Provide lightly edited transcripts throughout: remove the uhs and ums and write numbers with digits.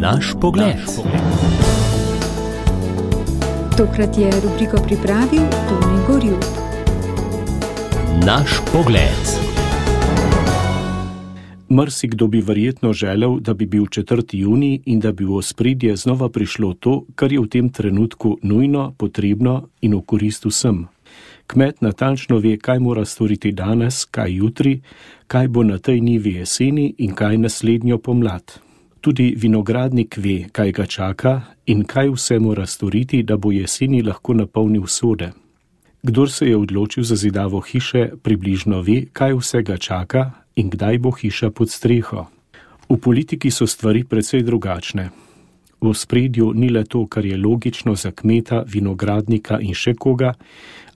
Naš pogled. Tokrat je rubriko pripravil Toni Gorjup. Naš pogled. Marsikdo bi verjetno želel, da bi bil 4. junij in da bi v ospredje znova prišlo to, kar je v tem trenutku nujno, potrebno in v korist vsem. Kmet natančno ve, kaj mora storiti danes, kaj jutri, kaj bo na tej njivi jeseni in kaj naslednjo pomlad. Tudi vinogradnik ve, kaj ga čaka in kaj vse mora storiti, da bo jeseni lahko napolnil sode. Kdor se je odločil za zidavo hiše, približno ve, kaj vse ga čaka in kdaj bo hiša pod streho. V politiki so stvari precej drugačne. V ospredju ni le to, kar je logično za kmeta, vinogradnika in še koga,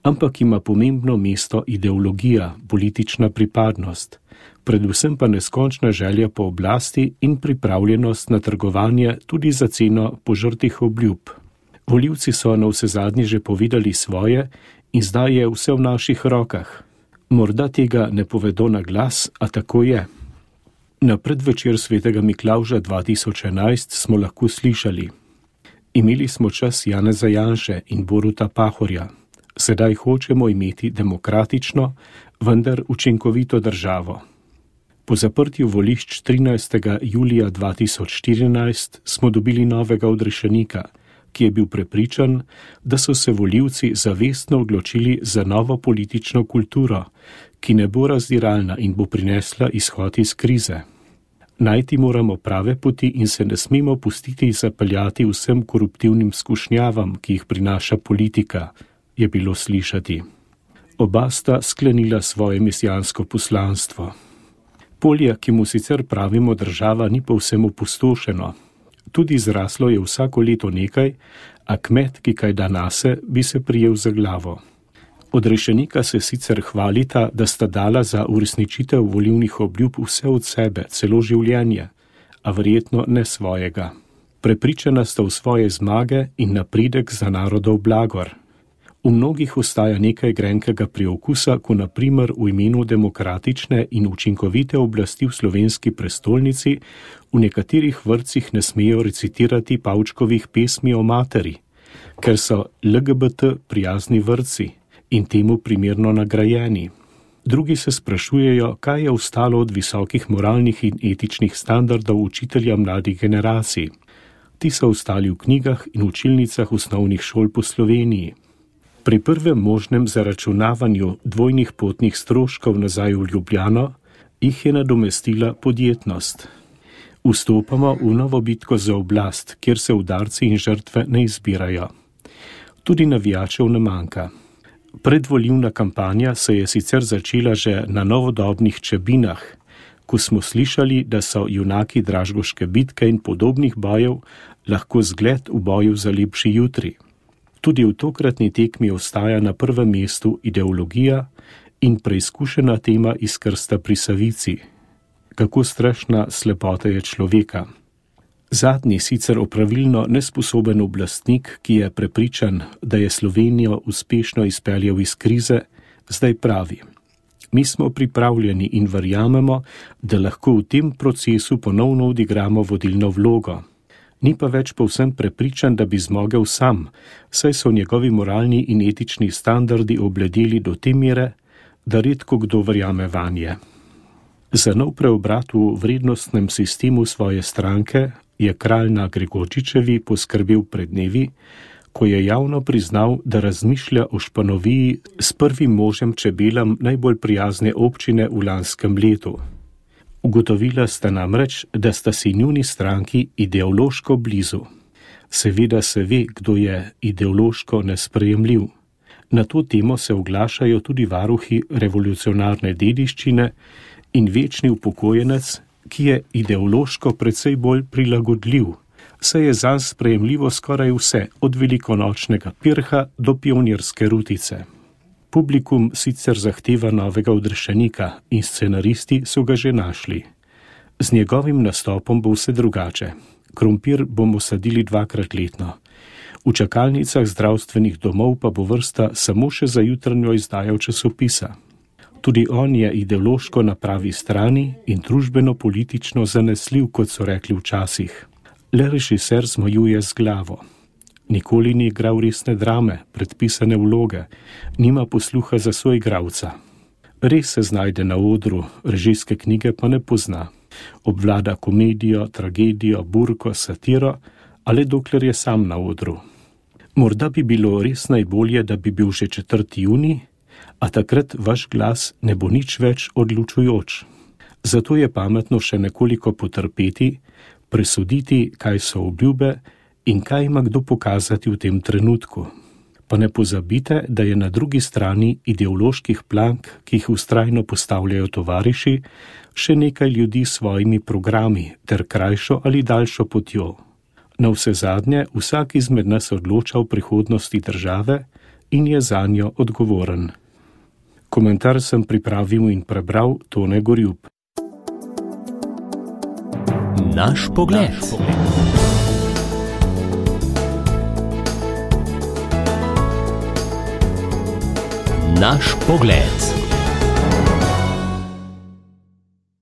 ampak ima pomembno mesto ideologija, politična pripadnost, predvsem pa neskončna želja po oblasti in pripravljenost na trgovanje tudi za ceno požrtih obljub. Volivci so navsezadnje že povedali svoje in zdaj je vse v naših rokah. Morda tega ne povedo na glas, a tako je. Na predvečer svetega Miklavža 2011 smo lahko slišali: imeli smo čas Janeza Janše in Boruta Pahorja. Sedaj hočemo imeti demokratično, vendar učinkovito državo. Po zaprtju volišč 13. julija 2014 smo dobili novega odrešenika, ki je bil prepričan, da so se volivci zavestno odločili za novo politično kulturo, ki ne bo razdiralna in bo prinesla izhod iz krize. Najti moramo prave poti in se ne smemo pustiti zapeljati vsem koruptivnim skušnjavam, ki jih prinaša politika, je bilo slišati. Oba sta sklenila svoje misijansko poslanstvo. Polje, ki mu sicer pravimo država, ni povsem opustošeno. Tudi zraslo je vsako leto nekaj, a kmet, ki kaj da nase, bi se prijel za glavo. Odrešenika se sicer hvalita, da sta dala za uresničitev volilnih obljub vse od sebe, celo življenje, a verjetno ne svojega. Prepričana sta v svoje zmage in napredek za narodov blagor. V mnogih ostaja nekaj grenkega priokusa, ko na primer v imenu demokratične in učinkovite oblasti v slovenski prestolnici v nekaterih vrtcih ne smejo recitirati Pavčkovih pesmi o materi, ker so LGBT prijazni vrtci in temu primerno nagrajeni. Drugi se sprašujejo, kaj je ostalo od visokih moralnih in etičnih standardov učitelja mladih generacij. Ti so ostali v knjigah in učilnicah osnovnih šol po Sloveniji. Pri prvem možnem zaračunavanju dvojnih potnih stroškov nazaj v Ljubljano jih je nadomestila podjetnost. Vstopamo v novo bitko za oblast, kjer se udarci in žrtve ne izbirajo. Tudi navijačev ne manjka. Predvolilna kampanja se je sicer začela že na novodobnih Čebinah, ko smo slišali, da so junaki Dražgoške bitke in podobnih bojev lahko zgled v boju za lepši jutri. Tudi v tokratni tekmi ostaja na prvem mestu ideologija in preizkušena tema iz krsta pri Savici. Kako strašna slepota je človeka. Zadnji, sicer opravilno nesposoben oblastnik, ki je prepričan, da je Slovenijo uspešno izpeljal iz krize, zdaj pravi: mi smo pripravljeni in verjamemo, da lahko v tem procesu ponovno odigramo vodilno vlogo. Ni pa več povsem prepričan, da bi zmogel sam, saj so njegovi moralni in etični standardi obledeli do te mere, da redko kdo verjame vanje. Za nov preobrat v vrednostnem sistemu svoje stranke je kralj na Gregorčičevi poskrbel pred dnevi, ko je javno priznal, da razmišlja o Španoviji s prvim možem Čebelam najbolj prijazne občine v lanskem letu. Ugotovila sta namreč, da sta si njuni stranki ideološko blizu. Seveda se ve, kdo je ideološko nesprejemljiv. Na to temo se oglašajo tudi varuhi revolucionarne dediščine in večni upokojenec, ki je ideološko precej bolj prilagodljiv, saj je zanj sprejemljivo skoraj vse, od velikonočnega pirha do pionirske rutice. Publikum sicer zahteva novega odrešenika in scenaristi so ga že našli. Z njegovim nastopom bo vse drugače. Krompir bomo sadili 2-krat letno. V čakalnicah zdravstvenih domov pa bo vrsta samo še za jutranjo izdajo časopisa. Tudi on je ideološko na pravi strani in družbeno-politično zanesljiv, kot so rekli včasih. Le režiser zmajuje z glavo. Nikoli ni igral resne drame, predpisane vloge, nima posluha za soigralca. Res se znajde na odru, režijske knjige pa ne pozna. Obvlada komedijo, tragedijo, burko, satiro, ali dokler je sam na odru. Morda bi bilo res najbolje, da bi bil že 4. junij, a takrat vaš glas ne bo nič več odločujoč. Zato je pametno še nekoliko potrpeti, presoditi, kaj so obljube in kaj ima kdo pokazati v tem trenutku. Pa ne pozabite, da je na drugi strani ideoloških plank, ki jih vztrajno postavljajo tovariši, še nekaj ljudi s svojimi programi ter krajšo ali daljšo potjo. Na vse zadnje vsak izmed nas odloča o prihodnosti države in je zanjo odgovoren. Komentar sem pripravil in prebral Tone Gorjup. Naš pogled. Naš pogled.